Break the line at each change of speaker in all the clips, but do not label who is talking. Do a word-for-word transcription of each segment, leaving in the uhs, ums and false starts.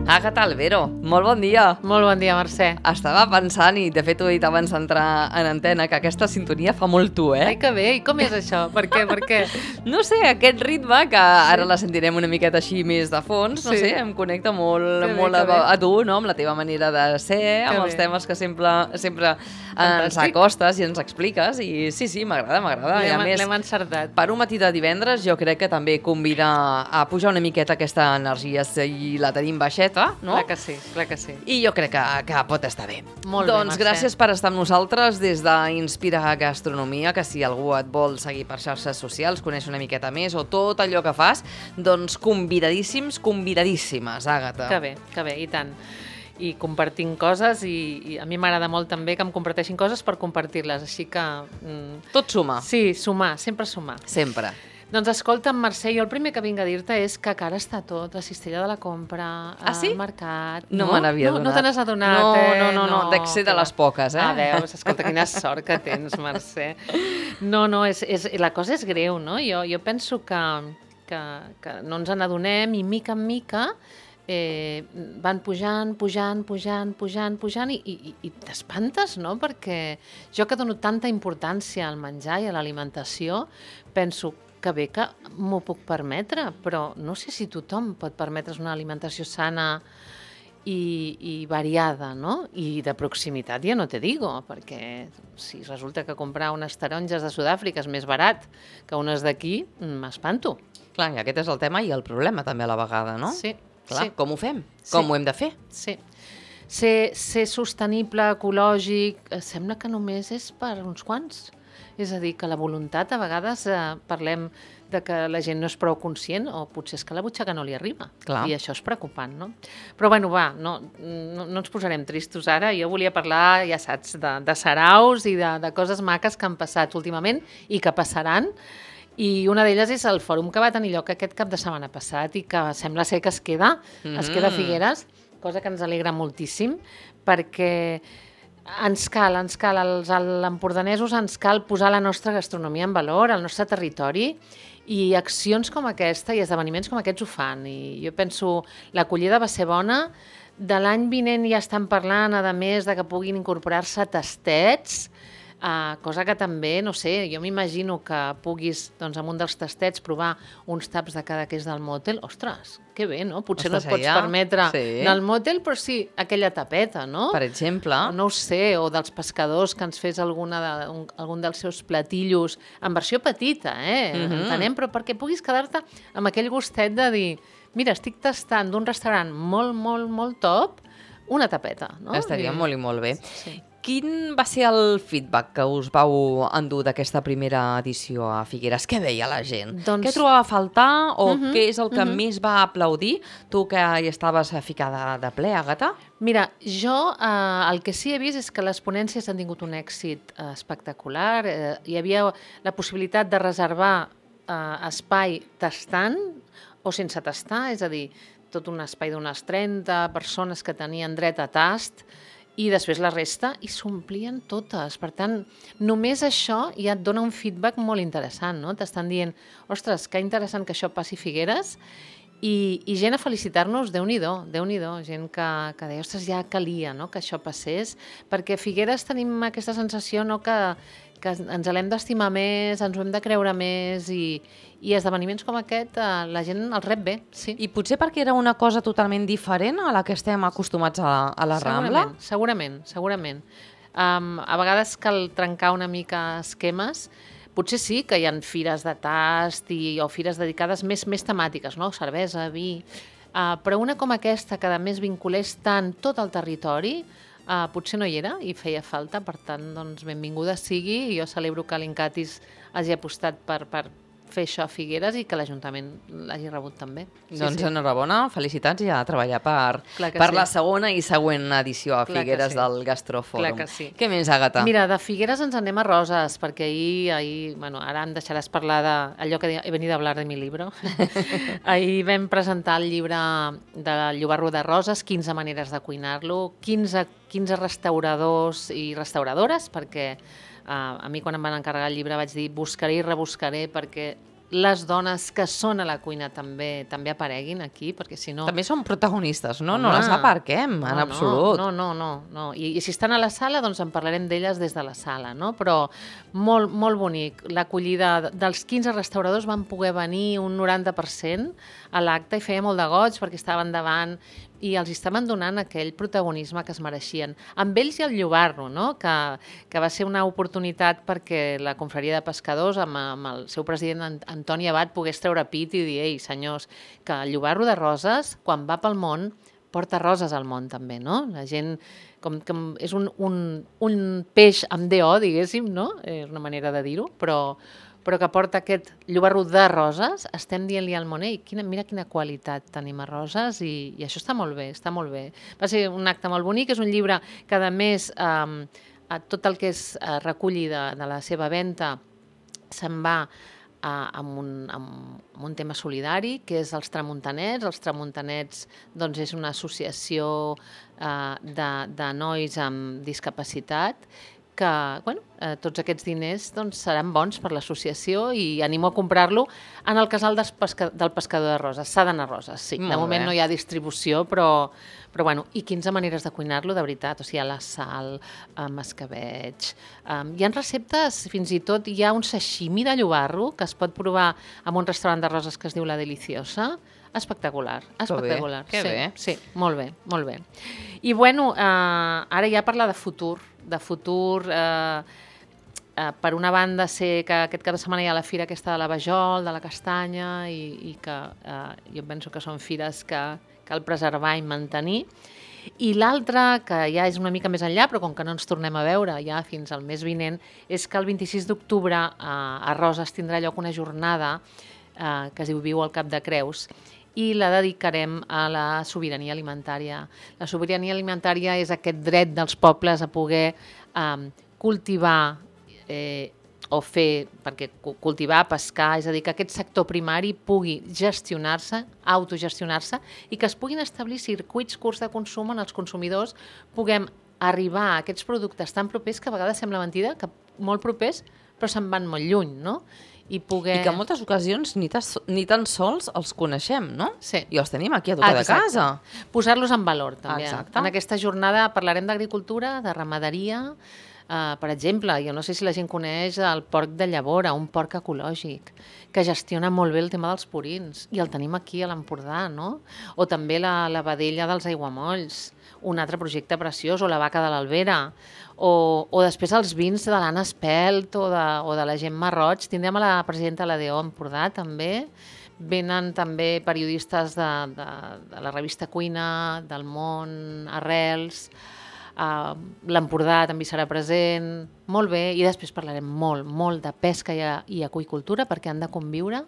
Àgata Albero, molt bon dia.
Molt bon dia, Mercè.
Estava pensant, i de fet ho he dit abans d'entrar en antena, que aquesta sintonia fa molt tu, eh?
Ai, que bé. I com és això? Per què? Per què?
No sé, aquest ritme, que ara la sentirem una miqueta així més de fons, no
Sí.
sé, em connecta molt,
Que bé,
molt
que
a,
bé.
a tu, no?, amb la teva manera de ser, amb
Que
els
bé.
temes que sempre, sempre ens
Fantàstic.
acostes i ens expliques, i sí, sí, m'agrada, m'agrada. I a
L'hem
més,
l'hem encertat.
per un matí de divendres jo crec que també convida a pujar una miqueta aquesta energia, si la tenim baixeta, no?
Clar que sí, clar que sí.
I jo crec que, que pot estar bé.
Molt bé,
doncs
Mercè.
gràcies per estar amb nosaltres des d'Inspira Gastronomia, que si algú et vol seguir per xarxes socials, conèixer una miqueta més o tot allò que fas, doncs convidadíssims, convidadíssimes, Àgata.
Que bé, que bé, i tant. I compartint coses, i, i a mi m'agrada molt també que em comparteixin coses per compartir-les, així que... Mm,
Tot suma,
sí, sumar, sempre sumar.
sempre.
Doncs escolta'm, Mercè, jo el primer que vinc a dir-te és que cara està tot, la cistella de la compra,
Ah, sí?
al mercat...
No, me n'havia
no,
adonat.
No te n'has adonat,
no,
eh?
No, no, no, no. Dec ser de
que va.
les poques, eh?
Ah, veus, escolta, quina sort que tens, Mercè. No, no, és, és, la cosa és greu, no? Jo, jo penso que, que, que no ens n'adonem i mica en mica eh, van pujant, pujant, pujant, pujant, pujant i, i, i t'espantes, no? Perquè jo que dono tanta importància al menjar i a l'alimentació, penso que bé que m'ho puc permetre, però no sé si tothom pot permetre's una alimentació sana i, i variada, no? I de proximitat ja no te digo, perquè si resulta que comprar unes taronges de Sud-àfrica és més barat que unes d'aquí, m'espanto.
Clar, i aquest és el tema i el problema també a la vegada, no?
Sí,
Clar,
sí.
com ho fem?
Sí.
Com ho hem de fer?
Sí. Ser, ser sostenible, ecològic, eh, sembla que només és per uns quants. És a dir, que la voluntat, a vegades eh, parlem de que la gent no és prou conscient, o potser és que la butxaca no li arriba.
Clar.
I això és preocupant, no? Però bueno, va, no, no, no ens posarem tristos ara. Jo volia parlar, ja saps, de, de saraus i de, de coses maques que han passat últimament i que passaran. I una d'elles és el fòrum que va tenir lloc aquest cap de setmana passat i que sembla ser que es queda, mm. es queda a Figueres, cosa que ens alegra moltíssim, perquè ens cal, ens cal, als empordanesos ens cal posar la nostra gastronomia en valor, el nostre territori, i accions com aquesta i esdeveniments com aquests ho fan. I jo penso, l'acollida va ser bona, de l'any vinent ja estan parlant, a més, de que puguin incorporar-se tastets, Uh, cosa que també, no sé, jo m'imagino que puguis, doncs, amb un dels tastets provar uns taps de cada que és del mòtel. Ostres, que bé, no? Potser
Ostres,
no et pots
allà,
permetre
sí.
anar al mòtel, però sí aquella tapeta, no?
Per exemple...
No ho sé, o dels pescadors que ens fes alguna de, un, algun dels seus platillos, en versió petita, eh?
Mhm.
Entenem, però perquè puguis quedar-te amb aquell gustet de dir, mira, estic tastant d'un restaurant molt, molt, molt top, una tapeta, no?
Estaria
I...
molt i molt bé.
Sí.
Quin va ser el feedback que us vau endur d'aquesta primera edició a Figueres? Què deia la gent?
Doncs...
Què trobava a faltar o
Mhm,
què és el que
mhm.
més va aplaudir? Tu que hi estaves ficada de ple, Àgata?
Mira, jo eh, el que sí he vist és que les ponències han tingut un èxit eh, espectacular. Eh, hi havia la possibilitat de reservar eh, espai tastant o sense tastar, és a dir, tot un espai d'unes trenta persones que tenien dret a tast, i després la resta, i s'omplien totes. Per tant, només això ja et dona un feedback molt interessant, no? T'estan dient, ostres, que interessant que això passi a Figueres, i, i gent a felicitar-nos, Déu-n'hi-do, Déu-n'hi-do, gent que, que deia, ostres, ja calia, no?, que això passés, perquè a Figueres tenim aquesta sensació, no?, que, que ens l'hem d'estimar més, ens ho hem de creure més, i, i esdeveniments com aquest eh, la gent els rep bé, sí.
I potser perquè era una cosa totalment diferent a la que estem acostumats a, a la Rambla?
Segurament, segurament, segurament. Um, a vegades cal trencar una mica esquemes. Potser sí que hi ha fires de tast i, o fires dedicades més, més temàtiques, no? Cervesa, vi... Uh, però una com aquesta, que a més vinculés tant tot el territori, uh, potser no hi era i feia falta. Per tant, doncs, benvinguda sigui, i jo celebro que l'Incatis hagi apostat per, per fer això a Figueres i que l'Ajuntament l'hagi rebut també. Sí,
Doncs
sí.
enhorabona, felicitats i a treballar per,
Clar que
per
sí.
la segona i següent edició a
Clar que
Figueres
sí.
del Gastrofòrum.
Clar que sí.
Què més, Àgata?
Mira, de Figueres ens anem a Roses, perquè ahir, ahir bueno, ara em deixaràs parlar d'allò que he venido a hablar de mi libro. Ahir vam presentar el llibre del Llobarro de Roses, quinze maneres de cuinar-lo, quinze, quinze restauradors i restauradores, perquè uh, a mi quan em van encarregar el llibre vaig dir buscaré i rebuscaré perquè les dones que són a la cuina també també apareguin aquí, perquè si no...
També són protagonistes, no?
Home,
no les aparquem,
no,
en absolut.
No, no, no. no. I, I si estan a la sala, doncs en parlarem d'elles des de la sala, no? Però molt, molt bonic. L'acollida dels quinze restauradors van poder venir un noranta per cent a l'acte i feia molt de goig perquè estaven davant i els estaven donant aquell protagonisme que es mereixien. Amb ells i el Llobarro, no? que, que va ser una oportunitat perquè la confraria de pescadors, amb, amb el seu president Antoni Abad, pogués treure pit i dir, ei, senyors, que el Llobarro de Roses, quan va pel món, porta roses al món també, no? La gent, com, com és un, un, un peix amb D O, diguéssim, no? És una manera de dir-ho, però... però que porta aquest llobarro de roses, estem dient-li al món, ei, quina, mira quina qualitat tenim a Roses i, i això està molt bé, està molt bé. Va ser un acte molt bonic, és un llibre que a més eh, tot el que es eh, reculli de, de la seva venda se'n va eh, amb, un, amb, amb un tema solidari, que és els tramuntanets. Els tramuntanets doncs, és una associació eh, de, de nois amb discapacitat que bueno, eh, tots aquests diners doncs, seran bons per l'associació i animo a comprar-lo en el casal del, pesca, del pescador de Roses. S'ha d'anar a Roses, sí. Molt de moment bé. No hi ha distribució, però, però bueno, i quinze maneres de cuinar-lo, de veritat. O sigui, a la sal, amb escabeig... Um, hi ha receptes, fins i tot hi ha un sashimi de llobarro que es pot provar en un restaurant de Roses que es diu La Deliciosa. Espectacular, espectacular.
Que bé, que
sí, bé. Sí, molt bé, molt bé. I bueno, eh, ara ja parlar de futur, de futur, eh, eh, per una banda sé que aquest cap de setmana hi ha la fira aquesta de la Vajol, de la castanya, i, i que eh, jo penso que són fires que cal preservar i mantenir. I l'altra, que ja és una mica més enllà, però com que no ens tornem a veure ja fins al mes vinent, és que el vint-i-sis d'octubre eh, a Roses tindrà lloc una jornada eh, que es diu Viu al Cap de Creus, i la dedicarem a la sobirania alimentària. La sobirania alimentària és aquest dret dels pobles a poder eh, cultivar eh, o fer, perquè cultivar, pescar, és a dir, que aquest sector primari pugui gestionar-se, autogestionar-se, i que es puguin establir circuits curts de consum on els consumidors puguem arribar a aquests productes tan propers que a vegades sembla mentida, que molt propers, però se'n van molt lluny, no? I, poder...
I que en moltes ocasions ni, tas, ni tan sols els coneixem, no?
Sí.
I els tenim aquí a tocar de casa.
Posar-los en valor, també.
Exacte.
En aquesta jornada parlarem d'agricultura, de ramaderia. Uh, per exemple, jo no sé si la gent coneix el porc de llavora, un porc ecològic, que gestiona molt bé el tema dels purins, i el tenim aquí a l'Empordà, no? O també la, la vedella dels aiguamolls, un altre projecte preciós, o la vaca de l'Albera, o, o després els vins de l'Anna Espelt o de, o de la Gemma Roig. Tindrem a la presidenta de l'A D O Empordà, també. Venen també periodistes de, de, de la revista Cuina, del Món, Arrels, uh, l'Empordà també serà present, molt bé, i després parlarem molt, molt de pesca i, i aqüicultura, perquè han de conviure.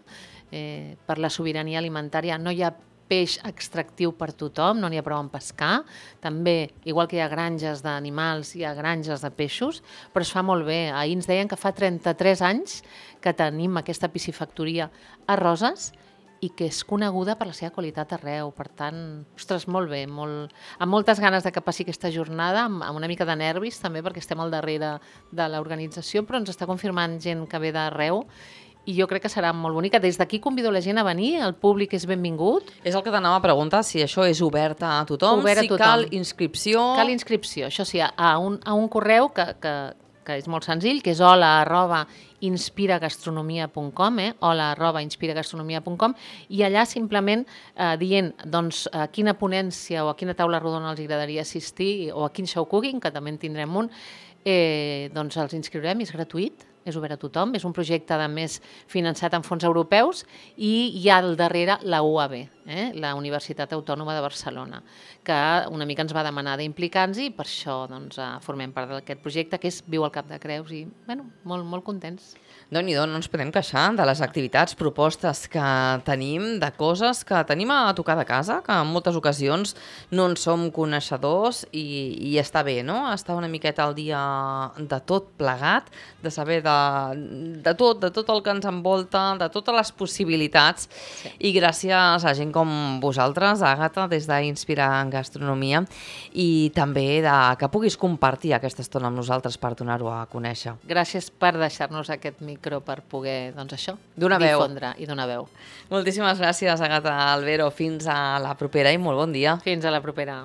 Eh, per la sobirania alimentària no hi ha peix extractiu per tothom, no n'hi ha prou en pescar. També, igual que hi ha granges d'animals, hi ha granges de peixos, però es fa molt bé. Ahir ens deien que fa trenta-tres anys que tenim aquesta piscifactoria a Roses i que és coneguda per la seva qualitat arreu. Per tant, ostres, molt bé, molt... amb moltes ganes de que passi aquesta jornada, amb, amb una mica de nervis també, perquè estem al darrere de l'organització, però ens està confirmant gent que ve d'arreu, i jo crec que serà molt bonica. Des d'aquí convido la gent a venir, el públic és benvingut.
És el que t'anava a preguntar, si això és obert a tothom,
obert a
si
tothom.
cal inscripció...
Cal inscripció, això sí, a un, a un correu que, que, que és molt senzill, que és hola arroba inspiragastronomia punt com, eh? hola arroba inspiragastronomia punt com, i allà simplement eh, dient doncs, a quina ponència o a quina taula rodona els agradaria assistir, o a quin show cooking, que també en tindrem un, eh, doncs els inscriurem, és gratuït, és obert a tothom, és un projecte a més finançat amb fons europeus, i hi ha al darrere la U A B, eh? la Universitat Autònoma de Barcelona, que una mica ens va demanar d'implicar-nos, i per això doncs, formem part d'aquest projecte, que és Viu al Cap de Creus, i bueno, molt, molt contents.
Déu-n'hi-do, no ens podem queixar de les activitats, propostes que tenim, de coses que tenim a tocar de casa, que en moltes ocasions no en som coneixedors, i, i està bé, no? Estar una miqueta al dia de tot plegat, de saber de de, de tot, de tot el que ens envolta, de totes les possibilitats. Sí. I gràcies a gent com vosaltres, Àgata, des d'Inspira en Gastronomia, i també de, que puguis compartir aquesta estona amb nosaltres per donar-ho a conèixer.
Gràcies per deixar-nos aquest micro per poder, doncs això,
donar veu.
Difondre i donar veu.
Moltíssimes gràcies, Àgata Albero. Fins a la propera i molt bon dia.
Fins a la propera.